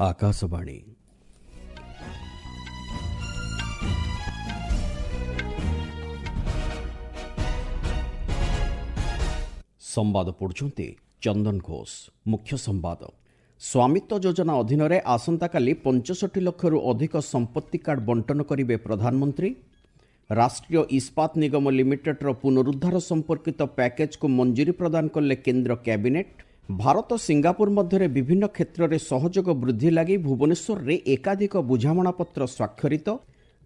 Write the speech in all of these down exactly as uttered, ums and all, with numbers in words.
ଆକାଶବାଣୀ। ସମ୍ବାଦ ପଢୁଛନ୍ତି ଚନ୍ଦନ ଘୋଷ। ମୁଖ୍ୟ ସମ୍ବାଦ। ସ୍ୱାମିତ୍ୱ ଯୋଜନା ଅଧୀନରେ ଆସନ୍ତାକାଲି ପଞ୍ଚଷଠି ଲକ୍ଷରୁ ଅଧିକ ସମ୍ପତ୍ତି କାର୍ଡ ବଣ୍ଟନ କରିବେ ପ୍ରଧାନମନ୍ତ୍ରୀ। ରାଷ୍ଟ୍ରୀୟ ଇସ୍ପାତ ନିଗମ ଲିମିଟେଡ୍ର ପୁନରୁଦ୍ଧାର ସମ୍ପର୍କିତ ପ୍ୟାକେଜକୁ ମଞ୍ଜୁରୀ ପ୍ରଦାନ କଲେ କେନ୍ଦ୍ର କ୍ୟାବିନେଟ୍। ଭାରତ ସିଙ୍ଗାପୁର ମଧ୍ୟରେ ବିଭିନ୍ନ କ୍ଷେତ୍ରରେ ସହଯୋଗ ବୃଦ୍ଧି ଲାଗି ଭୁବନେଶ୍ୱରରେ ଏକାଧିକ ବୁଝାମଣାପତ୍ର ସ୍ୱାକ୍ଷରିତ।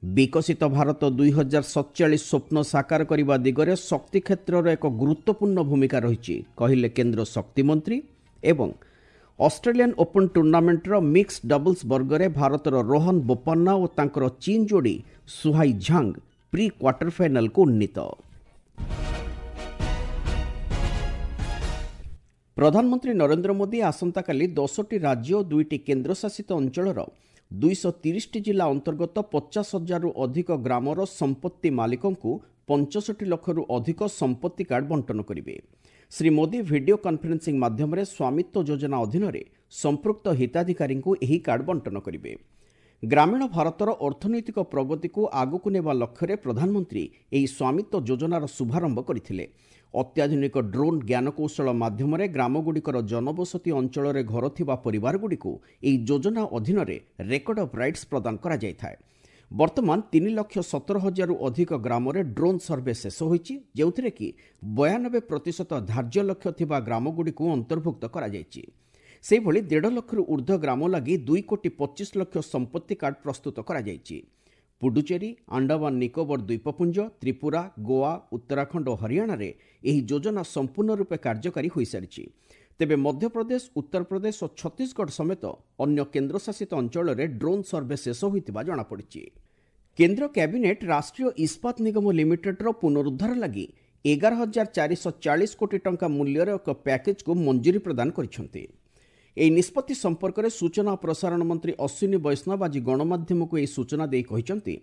ବିକଶିତ ଭାରତ ଦୁଇ ହଜାର ସତଚାଳିଶ ସ୍ୱପ୍ନ ସାକାର କରିବା ଦିଗରେ ଶକ୍ତି କ୍ଷେତ୍ରର ଏକ ଗୁରୁତ୍ୱପୂର୍ଣ୍ଣ ଭୂମିକା ରହିଛି, କହିଲେ କେନ୍ଦ୍ର ଶକ୍ତିମନ୍ତ୍ରୀ। ଏବଂ ଅଷ୍ଟ୍ରେଲିଆନ୍ ଓପନ୍ ଟୁର୍ଣ୍ଣାମେଣ୍ଟର ମିକ୍ସଡ ଡବଲ୍ସ ବର୍ଗରେ ଭାରତର ରୋହନ ବୋପାନ୍ନା ଓ ତାଙ୍କର ଚୀନ୍ ଯୋଡ଼ି ସୁହାଇ ଝାଙ୍ଗ ପ୍ରି କ୍ୱାର୍ଟର ଫାଇନାଲକୁ ଉନ୍ନୀତ। ପ୍ରଧାନମନ୍ତ୍ରୀ ନରେନ୍ଦ୍ର ମୋଦି ଆସନ୍ତାକାଲି ଦଶଟି ରାଜ୍ୟ ଓ ଦୁଇଟି କେନ୍ଦ୍ରଶାସିତ ଅଞ୍ଚଳର ଦୁଇଶହ ତିରିଶଟି ଜିଲ୍ଲା ଅନ୍ତର୍ଗତ ପଚାଶ ହଜାରରୁ ଅଧିକ ଗ୍ରାମର ସମ୍ପତ୍ତି ମାଲିକଙ୍କୁ ପଞ୍ଚଷଠି ଲକ୍ଷରୁ ଅଧିକ ସମ୍ପତ୍ତି କାର୍ଡ ବଣ୍ଟନ କରିବେ। ଶ୍ରୀ ମୋଦି ଭିଡିଓ କନଫରେନ୍ସିଂ ମାଧ୍ୟମରେ ସ୍ୱାମିତ୍ୱ ଯୋଜନା ଅଧୀନରେ ସମ୍ପୃକ୍ତ ହିତାଧିକାରୀଙ୍କୁ ଏହି କାର୍ଡ ବଣ୍ଟନ କରିବେ। ଗ୍ରାମୀଣ ଭାରତର ଅର୍ଥନୈତିକ ପ୍ରଗତିକୁ ଆଗକୁ ନେବା ଲକ୍ଷ୍ୟରେ ପ୍ରଧାନମନ୍ତ୍ରୀ ଏହି ସ୍ୱାମିତ୍ୱ ଯୋଜନାର ଶୁଭାରମ୍ଭ କରିଥିଲେ। ଅତ୍ୟାଧୁନିକ ଡ୍ରୋନ୍ ଜ୍ଞାନକୌଶଳ ମାଧ୍ୟମରେ ଗ୍ରାମଗୁଡ଼ିକର ଜନବସତି ଅଞ୍ଚଳରେ ଘର ଥିବା ପରିବାରଗୁଡ଼ିକୁ ଏହି ଯୋଜନା ଅଧୀନରେ ରେକର୍ଡ ଅଫ୍ ରାଇଟ୍ସ ପ୍ରଦାନ କରାଯାଇଥାଏ। ବର୍ତ୍ତମାନ ତିନି ଲକ୍ଷ ସତର ହଜାରରୁ ଅଧିକ ଗ୍ରାମରେ ଡ୍ରୋନ୍ ସର୍ଭେ ଶେଷ ହୋଇଛି, ଯେଉଁଥିରେ କି ବୟାନବେ ପ୍ରତିଶତ ଧାର୍ଯ୍ୟ ଲକ୍ଷ୍ୟ ଥିବା ଗ୍ରାମଗୁଡ଼ିକୁ ଅନ୍ତର୍ଭୁକ୍ତ କରାଯାଇଛି। ସେହିଭଳି ଦେଢ଼ ଲକ୍ଷରୁ ଉର୍ଦ୍ଧ୍ୱ ଗ୍ରାମ ଲାଗି ଦୁଇ କୋଟି ପଚିଶ ଲକ୍ଷ ସମ୍ପତ୍ତି କାର୍ଡ ପ୍ରସ୍ତୁତ କରାଯାଇଛି। ପୁଡୁଚେରୀ, ଆଣ୍ଡାମାନ ନିକୋବର ଦ୍ୱୀପପୁଞ୍ଜ, ତ୍ରିପୁରା, ଗୋଆ, ଉତ୍ତରାଖଣ୍ଡ ଓ ହରିୟାଣାରେ ଏହି ଯୋଜନା ସମ୍ପୂର୍ଣ୍ଣ ରୂପେ କାର୍ଯ୍ୟକାରୀ ହୋଇସାରିଛି। ତେବେ ମଧ୍ୟପ୍ରଦେଶ, ଉତ୍ତରପ୍ରଦେଶ ଓ ଛତିଶଗଡ଼ ସମେତ ଅନ୍ୟ କେନ୍ଦ୍ରଶାସିତ ଅଞ୍ଚଳରେ ଡ୍ରୋନ୍ ସର୍ଭେ ଶେଷ ହୋଇଥିବା ଜଣାପଡ଼ିଛି। କେନ୍ଦ୍ର କ୍ୟାବିନେଟ୍ ରାଷ୍ଟ୍ରୀୟ ଇସ୍ପାତ ନିଗମ ଲିମିଟେଡ୍ର ପୁନରୁଦ୍ଧାର ଲାଗି ଏଗାର ହଜାର ଚାରିଶହ ଚାଳିଶ କୋଟି ଟଙ୍କା ମୂଲ୍ୟର ଏକ ପ୍ୟାକେଜକୁ ମଞ୍ଜୁରୀ ପ୍ରଦାନ କରିଛନ୍ତି। ଏହି ନିଷ୍ପତ୍ତି ସମ୍ପର୍କରେ ସୂଚନା ଓ ପ୍ରସାରଣ ମନ୍ତ୍ରୀ ଅଶ୍ୱିନୀ ବୈଷ୍ଣବ ଆଜି ଗଣମାଧ୍ୟମକୁ ଏହି ସୂଚନା ଦେଇ କହିଛନ୍ତି,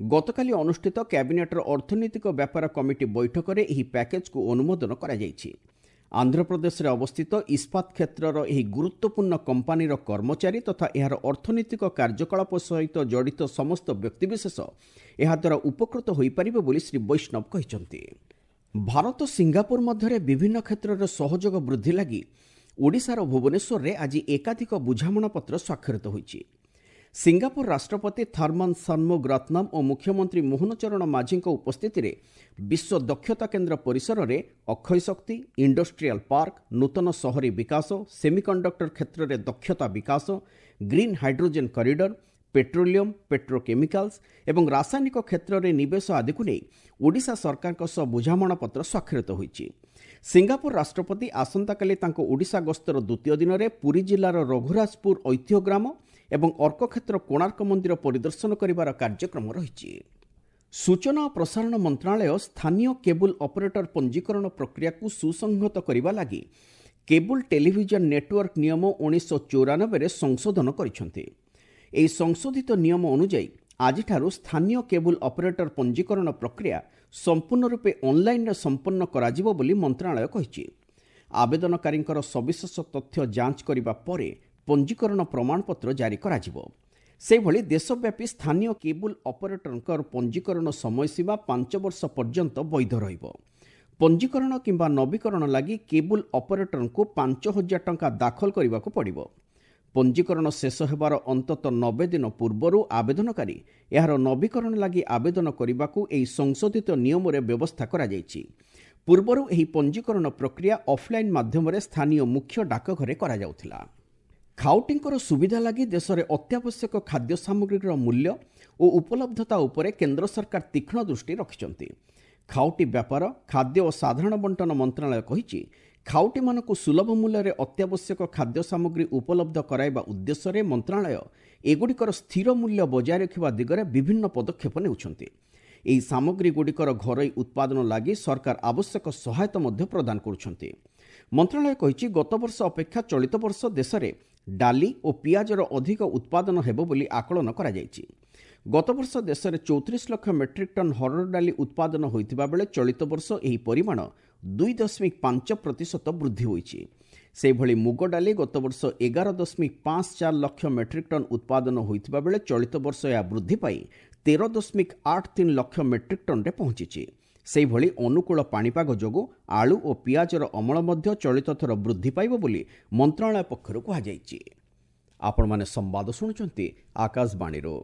ଗତକାଲି ଅନୁଷ୍ଠିତ କ୍ୟାବିନେଟ୍ର ଅର୍ଥନୈତିକ ବ୍ୟାପାର କମିଟି ବୈଠକରେ ଏହି ପ୍ୟାକେଜକୁ ଅନୁମୋଦନ କରାଯାଇଛି। ଆନ୍ଧ୍ରପ୍ରଦେଶରେ ଅବସ୍ଥିତ ଇସ୍ପାତ କ୍ଷେତ୍ରର ଏହି ଗୁରୁତ୍ୱପୂର୍ଣ୍ଣ କମ୍ପାନୀର କର୍ମଚାରୀ ତଥା ଏହାର ଅର୍ଥନୈତିକ କାର୍ଯ୍ୟକଳାପ ସହିତ ଜଡ଼ିତ ସମସ୍ତ ବ୍ୟକ୍ତିବିଶେଷ ଏହାଦ୍ୱାରା ଉପକୃତ ହୋଇପାରିବେ ବୋଲି ଶ୍ରୀ ବୈଷ୍ଣବ କହିଛନ୍ତି। ଭାରତ ସିଙ୍ଗାପୁର ମଧ୍ୟରେ ବିଭିନ୍ନ କ୍ଷେତ୍ରରେ ସହଯୋଗ ବୃଦ୍ଧି ଲାଗି ଓଡ଼ିଶାର ଭୁବନେଶ୍ୱରରେ ଆଜି ଏକାଧିକ ବୁଝାମଣାପତ୍ର ସ୍ୱାକ୍ଷରିତ ହୋଇଛି। ସିଙ୍ଗାପୁର ରାଷ୍ଟ୍ରପତି ଥର୍ମନ ସନ୍ମୁଗ ରତ୍ନମ ଓ ମୁଖ୍ୟମନ୍ତ୍ରୀ ମୋହନ ଚରଣ ମାଝୀଙ୍କ ଉପସ୍ଥିତିରେ ବିଶ୍ୱ ଦକ୍ଷତା କେନ୍ଦ୍ର ପରିସରରେ ଅକ୍ଷୟ ଶକ୍ତି, ଇଣ୍ଡଷ୍ଟ୍ରିଆଲ ପାର୍କ, ନୂତନ ସହରୀ ବିକାଶ, ସେମିକଣ୍ଡକ୍ଟର କ୍ଷେତ୍ରରେ ଦକ୍ଷତା ବିକାଶ, green hydrogen corridor, petroleum, petrochemicals ଏବଂ ରାସାୟନିକ କ୍ଷେତ୍ରରେ ନିବେଶ ଆଦିକୁ ନେଇ ଓଡ଼ିଶା ସରକାରଙ୍କ ସହ ବୁଝାମଣାପତ୍ର ସ୍ୱାକ୍ଷରିତ ହୋଇଛି। ସିଙ୍ଗାପୁର ରାଷ୍ଟ୍ରପତି ଆସନ୍ତାକାଲି ତାଙ୍କ ଓଡ଼ିଶା ଗସ୍ତର ଦ୍ୱିତୀୟ ଦିନରେ ପୁରୀ ଜିଲ୍ଲାର ରଘୁରାଜପୁର ଐତିହ୍ୟ ଗ୍ରାମ ଏବଂ ଅର୍କକ୍ଷେତ୍ର କୋଣାର୍କ ମନ୍ଦିର ପରିଦର୍ଶନ କରିବାର କାର୍ଯ୍ୟକ୍ରମ ରହିଛି। ସୂଚନା ଓ ପ୍ରସାରଣ ମନ୍ତ୍ରଣାଳୟ ସ୍ଥାନୀୟ କେବୁଲ ଅପରେଟର ପଞ୍ଜୀକରଣ ପ୍ରକ୍ରିୟାକୁ ସୁସଂହତ କରିବା ଲାଗି କେବୁଲ ଟେଲିଭିଜନ ନେଟୱାର୍କ ନିୟମ ଉଣେଇଶହ ଚଉରାନବେରେ ସଂଶୋଧନ କରିଛନ୍ତି। ଏହି ସଂଶୋଧିତ ନିୟମ ଅନୁଯାୟୀ ଆଜିଠାରୁ ସ୍ଥାନୀୟ କେବୁଲ ଅପରେଟର ପଞ୍ଜୀକରଣ ପ୍ରକ୍ରିୟା ସମ୍ପୂର୍ଣ୍ଣ ରୂପେ ଅନ୍ଲାଇନ୍ରେ ସମ୍ପନ୍ନ କରାଯିବ ବୋଲି ମନ୍ତ୍ରଣାଳୟ କହିଛି। ଆବେଦନକାରୀଙ୍କର ସବିଶେଷ ତଥ୍ୟ ଯାଞ୍ଚ କରିବା ପରେ ପଞ୍ଜୀକରଣ ପ୍ରମାଣପତ୍ର ଜାରି କରାଯିବ। ସେହିଭଳି ଦେଶବ୍ୟାପୀ ସ୍ଥାନୀୟ କେବୁଲ ଅପରେଟରଙ୍କର ପଞ୍ଜୀକରଣ ସମୟସୀମା ପାଞ୍ଚ ବର୍ଷ ପର୍ଯ୍ୟନ୍ତ ବୈଧ ରହିବ। ପଞ୍ଜୀକରଣ କିମ୍ବା ନବୀକରଣ ଲାଗି କେବୁଲ ଅପରେଟରଙ୍କୁ ପାଞ୍ଚ ହଜାର ଟଙ୍କା ଦାଖଲ କରିବାକୁ ପଡ଼ିବ। ପଞ୍ଜୀକରଣ ଶେଷ ହେବାର ଅନ୍ତତଃ ନବେ ଦିନ ପୂର୍ବରୁ ଆବେଦନକାରୀ ଏହାର ନବୀକରଣ ଲାଗି ଆବେଦନ କରିବାକୁ ଏହି ସଂଶୋଧିତ ନିୟମରେ ବ୍ୟବସ୍ଥା କରାଯାଇଛି। ପୂର୍ବରୁ ଏହି ପଞ୍ଜୀକରଣ ପ୍ରକ୍ରିୟା ଅଫ୍ଲାଇନ୍ ମାଧ୍ୟମରେ ସ୍ଥାନୀୟ ମୁଖ୍ୟ ଡାକଘରେ କରାଯାଉଥିଲା। ଖାଉଟିଙ୍କର ସୁବିଧା ଲାଗି ଦେଶରେ ଅତ୍ୟାବଶ୍ୟକ ଖାଦ୍ୟ ସାମଗ୍ରୀର ମୂଲ୍ୟ ଓ ଉପଲବ୍ଧତା ଉପରେ କେନ୍ଦ୍ର ସରକାର ତୀକ୍ଷ୍ଣ ଦୃଷ୍ଟି ରଖିଛନ୍ତି। ଖାଉଟି ବ୍ୟାପାର, ଖାଦ୍ୟ ଓ ସାଧାରଣ ବଣ୍ଟନ ମନ୍ତ୍ରଣାଳୟ କହିଛି, ଖାଉଟିମାନଙ୍କୁ ସୁଲଭ ମୂଲ୍ୟରେ ଅତ୍ୟାବଶ୍ୟକ ଖାଦ୍ୟ ସାମଗ୍ରୀ ଉପଲବ୍ଧ କରାଇବା ଉଦ୍ଦେଶ୍ୟରେ ମନ୍ତ୍ରଣାଳୟ ଏଗୁଡ଼ିକର ସ୍ଥିର ମୂଲ୍ୟ ବଜାୟ ରଖିବା ଦିଗରେ ବିଭିନ୍ନ ପଦକ୍ଷେପ ନେଉଛନ୍ତି। ଏହି ସାମଗ୍ରୀଗୁଡ଼ିକର ଘରୋଇ ଉତ୍ପାଦନ ଲାଗି ସରକାର ଆବଶ୍ୟକ ସହାୟତା ମଧ୍ୟ ପ୍ରଦାନ କରୁଛନ୍ତି। ମନ୍ତ୍ରଣାଳୟ କହିଛି, ଗତବର୍ଷ ଅପେକ୍ଷା ଚଳିତ ବର୍ଷ ଦେଶରେ ଡାଲି ଓ ପିଆଜର ଅଧିକ ଉତ୍ପାଦନ ହେବ ବୋଲି ଆକଳନ କରାଯାଇଛି। ଗତବର୍ଷ ଦେଶରେ ଚଉତିରିଶ ଲକ୍ଷ ମେଟ୍ରିକ୍ ଟନ୍ ହରଡ଼ ଡାଲି ଉତ୍ପାଦନ ହୋଇଥିବା ବେଳେ ଚଳିତ ବର୍ଷ ଏହି ପରିମାଣ ଦୁଇ ଦଶମିକ ପାଞ୍ଚ ପ୍ରତିଶତ ବୃଦ୍ଧି ହୋଇଛି। ସେହିଭଳି ମୁଗ ଡାଲି ଗତବର୍ଷ ଏଗାର ଦଶମିକ ପାଞ୍ଚ ଚାରି ଲକ୍ଷ ମେଟ୍ରିକ୍ ଟନ୍ ଉତ୍ପାଦନ ହୋଇଥିବା ବେଳେ ଚଳିତ ବର୍ଷ ଏହା ବୃଦ୍ଧି ପାଇ ତେର ଦଶମିକ ଆଠ ତିନି ଲକ୍ଷ ମେଟ୍ରିକ୍ ଟନ୍ରେ ପହଞ୍ଚିଛି। ସେହିଭଳି ଅନୁକୂଳ ପାଣିପାଗ ଯୋଗୁଁ ଆଳୁ ଓ ପିଆଜର ଅମଳ ମଧ୍ୟ ଚଳିତ ଥର ବୃଦ୍ଧି ପାଇବ ବୋଲି ମନ୍ତ୍ରଣାଳୟ ପକ୍ଷରୁ କୁହାଯାଇଛି। ଆପଣମାନେ ସମ୍ବାଦ ଶୁଣୁଛନ୍ତି ଆକାଶବାଣୀରୁ।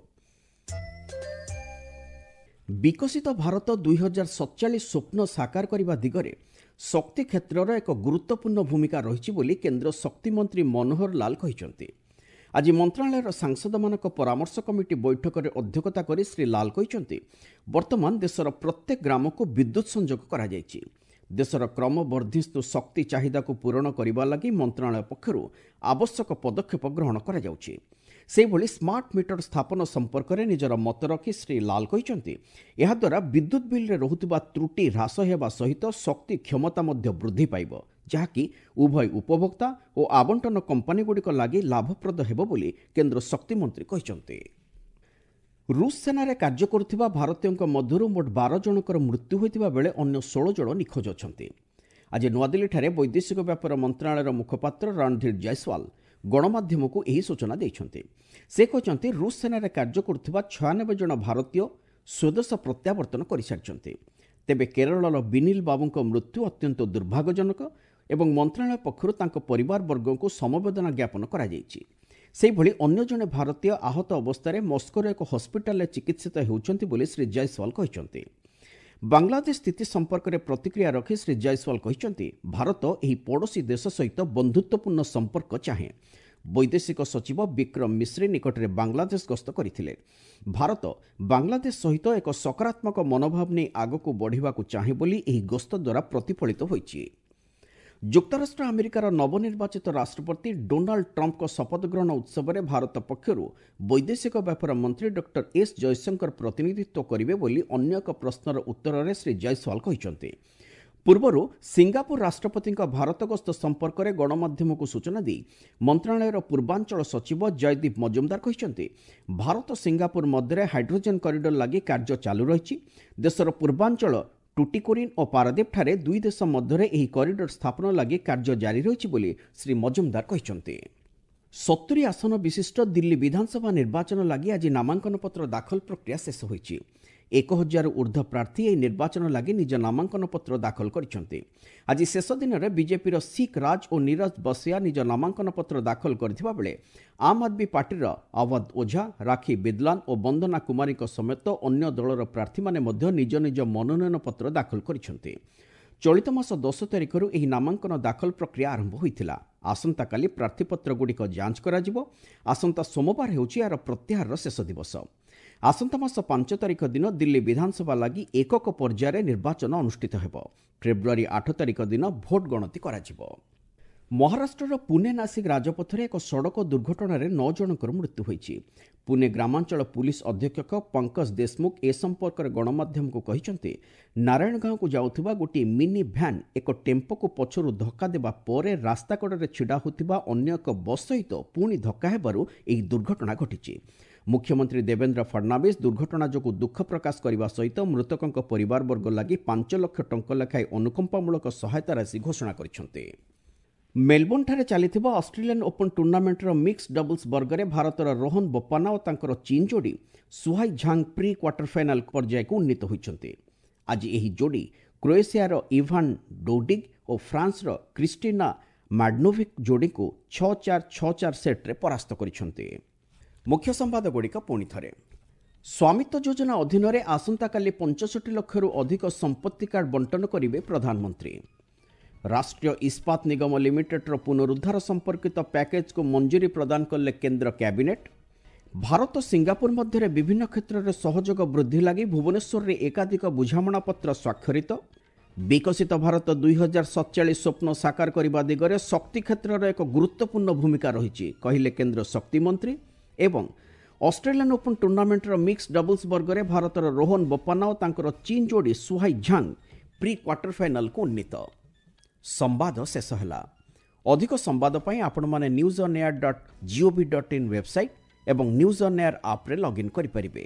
ବିକଶିତ ଭାରତ ଦୁଇ ହଜାର ସତଚାଳିଶ ସ୍ୱପ୍ନ ସାକାର କରିବା ଦିଗରେ ଶକ୍ତି କ୍ଷେତ୍ରର ଏକ ଗୁରୁତ୍ୱପୂର୍ଣ୍ଣ ଭୂମିକା ରହିଛି ବୋଲି କେନ୍ଦ୍ର ଶକ୍ତିମନ୍ତ୍ରୀ ମନୋହର ଲାଲ କହିଛନ୍ତି। ଆଜି ମନ୍ତ୍ରଣାଳୟର ସାଂସଦମାନଙ୍କ ପରାମର୍ଶ କମିଟି ବୈଠକରେ ଅଧ୍ୟକ୍ଷତା କରି ଶ୍ରୀ ଲାଲ କହିଛନ୍ତି, ବର୍ତ୍ତମାନ ଦେଶର ପ୍ରତ୍ୟେକ ଗ୍ରାମକୁ ବିଦ୍ୟୁତ୍ ସଂଯୋଗ କରାଯାଇଛି। ଦେଶର କ୍ରମବର୍ଦ୍ଧିଷ୍ଣୁ ଶକ୍ତି ଚାହିଦାକୁ ପୂରଣ କରିବା ଲାଗି ମନ୍ତ୍ରଣାଳୟ ପକ୍ଷରୁ ଆବଶ୍ୟକ ପଦକ୍ଷେପ ଗ୍ରହଣ କରାଯାଉଛି। ସେହିଭଳି ସ୍ମାର୍ଟ ମିଟର ସ୍ଥାପନ ସମ୍ପର୍କରେ ନିଜର ମତ ରଖି ଶ୍ରୀ ଲାଲ କହିଛନ୍ତି, ଏହାଦ୍ୱାରା ବିଦ୍ୟୁତ୍ ବିଲ୍ରେ ରହୁଥିବା ତ୍ରୁଟି ହ୍ରାସ ହେବା ସହିତ ଶକ୍ତି କ୍ଷମତା ମଧ୍ୟ ବୃଦ୍ଧି ପାଇବ, ଯାହାକି ଉଭୟ ଉପଭୋକ୍ତା ଓ ଆବଣ୍ଟନ କମ୍ପାନୀଗୁଡ଼ିକ ଲାଗି ଲାଭପ୍ରଦ ହେବ ବୋଲି କେନ୍ଦ୍ର ଶକ୍ତିମନ୍ତ୍ରୀ କହିଛନ୍ତି। ରୁଷ ସେନାରେ କାର୍ଯ୍ୟ କରୁଥିବା ଭାରତୀୟଙ୍କ ମଧ୍ୟରୁ ମୋଟ ବାର ଜଣଙ୍କର ମୃତ୍ୟୁ ହୋଇଥିବା ବେଳେ ଅନ୍ୟ ଷୋହଳ ଜଣ ନିଖୋଜ ଅଛନ୍ତି। ଆଜି ନୂଆଦିଲ୍ଲୀଠାରେ ବୈଦେଶିକ ବ୍ୟାପାର ମନ୍ତ୍ରଣାଳୟର ମୁଖପାତ୍ର ରଣଧୀର ଜୟସ୍ୱାଲ ଗଣମାଧ୍ୟମକୁ ଏହି ସୂଚନା ଦେଇଛନ୍ତି। ସେ କହିଛନ୍ତି, ରୁଷ ସେନାରେ କାର୍ଯ୍ୟ କରୁଥିବା ଛୟାନବେ ଜଣ ଭାରତୀୟ ସ୍ୱଦେଶ ପ୍ରତ୍ୟାବର୍ତ୍ତନ କରିସାରିଛନ୍ତି। ତେବେ କେରଳର ବିନିଲ ବାବୁଙ୍କ ମୃତ୍ୟୁ ଅତ୍ୟନ୍ତ ଦୁର୍ଭାଗ୍ୟଜନକ ଏବଂ ମନ୍ତ୍ରଣାଳୟ ପକ୍ଷରୁ ତାଙ୍କ ପରିବାରବର୍ଗଙ୍କୁ ସମବେଦନା ଜ୍ଞାପନ କରାଯାଇଛି। ସେହିଭଳି ଅନ୍ୟ ଜଣେ ଭାରତୀୟ ଆହତ ଅବସ୍ଥାରେ ମସ୍କୋର ଏକ ହସ୍ପିଟାଲରେ ଚିକିତ୍ସିତ ହେଉଛନ୍ତି ବୋଲି ଶ୍ରୀ ଜୟସ୍ୱାଲ କହିଛନ୍ତି। ବାଂଲାଦେଶ ସ୍ଥିତି ସମ୍ପର୍କରେ ପ୍ରତିକ୍ରିୟା ରଖି ଶ୍ରୀ ଜୟସ୍ୱାଲ କହିଛନ୍ତି, ଭାରତ ଏହି ପଡ଼ୋଶୀ ଦେଶ ସହିତ ବନ୍ଧୁତ୍ୱପୂର୍ଣ୍ଣ ସମ୍ପର୍କ ଚାହେଁ। ବୈଦେଶିକ ସଚିବ ବିକ୍ରମ ମିଶ୍ରି ନିକଟରେ ବାଂଲାଦେଶ ଗସ୍ତ କରିଥିଲେ। ଭାରତ ବାଂଲାଦେଶ ସହିତ ଏକ ସକାରାତ୍ମକ ମନୋଭାବ ନେଇ ଆଗକୁ ବଢ଼ିବାକୁ ଚାହେଁ ବୋଲି ଏହି ଗସ୍ତ ଦ୍ୱାରା ପ୍ରତିଫଳିତ ହୋଇଛି। ଯୁକ୍ତରାଷ୍ଟ୍ର ଆମେରିକାର ନବନିର୍ବାଚିତ ରାଷ୍ଟ୍ରପତି ଡୋନାଲ୍ଡ ଟ୍ରମ୍ପଙ୍କ ଶପଥ ଗ୍ରହଣ ଉତ୍ସବରେ ଭାରତ ପକ୍ଷରୁ ବୈଦେଶିକ ବ୍ୟାପାର ମନ୍ତ୍ରୀ ଡକ୍ଟର ଏସ୍ ଜୟଶଙ୍କର ପ୍ରତିନିଧିତ୍ୱ କରିବେ ବୋଲି ଅନ୍ୟ ଏକ ପ୍ରଶ୍ନର ଉତ୍ତରରେ ଶ୍ରୀ ଜୟସ୍ୱାଲ କହିଛନ୍ତି। ପୂର୍ବରୁ ସିଙ୍ଗାପୁର ରାଷ୍ଟ୍ରପତିଙ୍କ ଭାରତ ଗସ୍ତ ସମ୍ପର୍କରେ ଗଣମାଧ୍ୟମକୁ ସୂଚନା ଦେଇ ମନ୍ତ୍ରଣାଳୟର ପୂର୍ବାଞ୍ଚଳ ସଚିବ ଜୟଦୀପ ମଜୁମଦାର କହିଛନ୍ତି, ଭାରତ ସିଙ୍ଗାପୁର ମଧ୍ୟରେ ହାଇଡ୍ରୋଜେନ୍ କରିଡର ଲାଗି କାର୍ଯ୍ୟ ଚାଲୁ ରହିଛି। ଦେଶର ପୂର୍ବାଞ୍ଚଳ ଟୁଟିକୋରିନ୍ ଓ ପାରାଦୀପଠାରେ ଦୁଇ ଦେଶ ମଧ୍ୟରେ ଏହି କରିଡର ସ୍ଥାପନ ଲାଗି କାର୍ଯ୍ୟ ଜାରି ରହିଛି ବୋଲି ଶ୍ରୀ ମଜୁମଦାର କହିଛନ୍ତି। ସତୁରି ଆସନ ବିଶିଷ୍ଟ ଦିଲ୍ଲୀ ବିଧାନସଭା ନିର୍ବାଚନ ଲାଗି ଆଜି ନାମାଙ୍କନପତ୍ର ଦାଖଲ ପ୍ରକ୍ରିୟା ଶେଷ ହୋଇଛି। ଏକ ହଜାରରୁ ଉର୍ଦ୍ଧ୍ୱ ପ୍ରାର୍ଥୀ ଏହି ନିର୍ବାଚନ ଲାଗି ନିଜ ନାମାଙ୍କନପତ୍ର ଦାଖଲ କରିଛନ୍ତି। ଆଜି ଶେଷ ଦିନରେ ବିଜେପିର ଶିଖ୍ ରାଜ ଓ ନିରଜ ବସିଆ ନିଜ ନାମାଙ୍କନପତ୍ର ଦାଖଲ କରିଥିବା ବେଳେ ଆମ୍ ଆଦମୀ ପାର୍ଟିର ଆୱାଦ ଓଝା, ରାଖୀ ବିଦଲାନ ଓ ବନ୍ଦନା କୁମାରୀଙ୍କ ସମେତ ଅନ୍ୟ ଦଳର ପ୍ରାର୍ଥୀମାନେ ମଧ୍ୟ ନିଜ ନିଜ ମନୋନୟନ ପତ୍ର ଦାଖଲ କରିଛନ୍ତି। ଚଳିତ ମାସ ଦଶ ତାରିଖରୁ ଏହି ନାମାଙ୍କନ ଦାଖଲ ପ୍ରକ୍ରିୟା ଆରମ୍ଭ ହୋଇଥିଲା। ଆସନ୍ତାକାଲି ପ୍ରାର୍ଥୀପତ୍ରଗୁଡ଼ିକ ଯାଞ୍ଚ କରାଯିବ। ଆସନ୍ତା ସୋମବାର ହେଉଛି ଏହାର ପ୍ରତ୍ୟାହାରର ଶେଷ ଦିବସ। ଆସନ୍ତା ମାସ ପାଞ୍ଚ ତାରିଖ ଦିନ ଦିଲ୍ଲୀ ବିଧାନସଭା ଲାଗି ଏକକ ପର୍ଯ୍ୟାୟରେ ନିର୍ବାଚନ ଅନୁଷ୍ଠିତ ହେବ। ଫେବୃଆରୀ ଆଠ ତାରିଖ ଦିନ ଭୋଟ ଗଣତି କରାଯିବ। ମହାରାଷ୍ଟ୍ରର ପୁନେ ନାସିକ ରାଜପଥରେ ଏକ ସଡ଼କ ଦୁର୍ଘଟଣାରେ ନଅ ଜଣଙ୍କର ମୃତ୍ୟୁ ହୋଇଛି। ପୁନେ ଗ୍ରାମାଞ୍ଚଳ ପୁଲିସ ଅଧୀକ୍ଷକ ପଙ୍କଜ ଦେଶମୁଖ ଏ ସମ୍ପର୍କରେ ଗଣମାଧ୍ୟମକୁ କହିଛନ୍ତି, ନାରାୟଣଗାଁକୁ ଯାଉଥିବା ଗୋଟିଏ ମିନି ଭ୍ୟାନ୍ ଏକ ଟେମ୍ପୋକୁ ପଛରୁ ଧକ୍କା ଦେବା ପରେ ରାସ୍ତାକଡ଼ରେ ଛିଡ଼ା ହୋଇଥିବା ଅନ୍ୟ ଏକ ବସ୍ ସହିତ ପୁଣି ଧକ୍କା ହେବାରୁ ଏହି ଦୁର୍ଘଟଣା ଘଟିଛି। ମୁଖ୍ୟମନ୍ତ୍ରୀ ଦେବେନ୍ଦ୍ର ଫଡନାଭିସ୍ ଦୁର୍ଘଟଣା ଯୋଗୁଁ ଦୁଃଖ ପ୍ରକାଶ କରିବା ସହିତ ମୃତକଙ୍କ ପରିବାରବର୍ଗ ଲାଗି ପାଞ୍ଚ ଲକ୍ଷ ଟଙ୍କା ଲେଖାଏଁ ଅନୁକମ୍ପାମୂଳକ ସହାୟତା ରାଶି ଘୋଷଣା କରିଛନ୍ତି। ମେଲବୋର୍ଣ୍ଣଠାରେ ଚାଲିଥିବା ଅଷ୍ଟ୍ରେଲିଆନ୍ ଓପନ୍ ଟୁର୍ଣ୍ଣାମେଣ୍ଟର ମିକ୍ସ ଡବଲ୍ସ ବର୍ଗରେ ଭାରତର ରୋହନ ବୋପାନ୍ନା ଓ ତାଙ୍କର ଚୀନ୍ ଯୋଡ଼ି ସୁହାଇ ଝାଙ୍ଗ ପ୍ରି କ୍ୱାର୍ଟର ଫାଇନାଲ ପର୍ଯ୍ୟାୟକୁ ଉନ୍ନୀତ ହୋଇଛନ୍ତି। ଆଜି ଏହି ଯୋଡ଼ି କ୍ରୋଏସିଆର ଇଭାନ୍ ଡୋଡିଗ୍ ଓ ଫ୍ରାନ୍ସର କ୍ରିଷ୍ଟିନା ମାଡନୋଭିକ୍ ଯୋଡ଼ିଙ୍କୁ ଛଅ ଚାରି ଛଅ ଚାରି ସେଟ୍ରେ ପରାସ୍ତ କରିଛନ୍ତି। ମୁଖ୍ୟ ସମ୍ବାଦଗୁଡ଼ିକ ପୁଣି ଥରେ। ସ୍ୱାମିତ୍ୱ ଯୋଜନା ଅଧୀନରେ ଆସନ୍ତାକାଲି ପଞ୍ଚଷଠି ଲକ୍ଷରୁ ଅଧିକ ସମ୍ପତ୍ତି କାର୍ଡ ବଣ୍ଟନ କରିବେ ପ୍ରଧାନମନ୍ତ୍ରୀ। ରାଷ୍ଟ୍ରୀୟ ଇସ୍ପାତ ନିଗମ ଲିମିଟେଡ୍ର ପୁନରୁଦ୍ଧାର ସମ୍ପର୍କିତ ପ୍ୟାକେଜକୁ ମଞ୍ଜୁରୀ ପ୍ରଦାନ କଲେ କେନ୍ଦ୍ର କ୍ୟାବିନେଟ୍। ଭାରତ ସିଙ୍ଗାପୁର ମଧ୍ୟରେ ବିଭିନ୍ନ କ୍ଷେତ୍ରରେ ସହଯୋଗ ବୃଦ୍ଧି ଲାଗି ଭୁବନେଶ୍ୱରରେ ଏକାଧିକ ବୁଝାମଣାପତ୍ର ସ୍ୱାକ୍ଷରିତ। ବିକଶିତ ଭାରତ ଦୁଇ ହଜାର ସତଚାଳିଶ ସ୍ୱପ୍ନ ସାକାର କରିବା ଦିଗରେ ଶକ୍ତି କ୍ଷେତ୍ରର ଏକ ଗୁରୁତ୍ୱପୂର୍ଣ୍ଣ ଭୂମିକା ରହିଛି, କହିଲେ କେନ୍ଦ୍ର ଶକ୍ତିମନ୍ତ୍ରୀ। ଏବଂ ଅଷ୍ଟ୍ରେଲିଆନ୍ ଓପନ୍ ଟୁର୍ଣ୍ଣାମେଣ୍ଟର ମିକ୍ସ ଡବଲ୍ସ ବର୍ଗରେ ଭାରତର ରୋହନ ବୋପାନ୍ନା ଓ ତାଙ୍କର ଚୀନ୍ ଯୋଡ଼ି ସୁହାଇ ଝାଙ୍ଗ ପ୍ରି କ୍ୱାର୍ଟର ଫାଇନାଲକୁ ଉନ୍ନୀତ। ସମ୍ବାଦ ଶେଷ ହେଲା। ଅଧିକ ସମ୍ବାଦ ପାଇଁ ଆପଣମାନେ news on air dot gov dot in website ଏବଂ ନ୍ୟୁଜ୍ ଅନ୍ ଏୟାର ଆପ୍ରେ ଲଗ୍ଇନ୍ କରିପାରିବେ।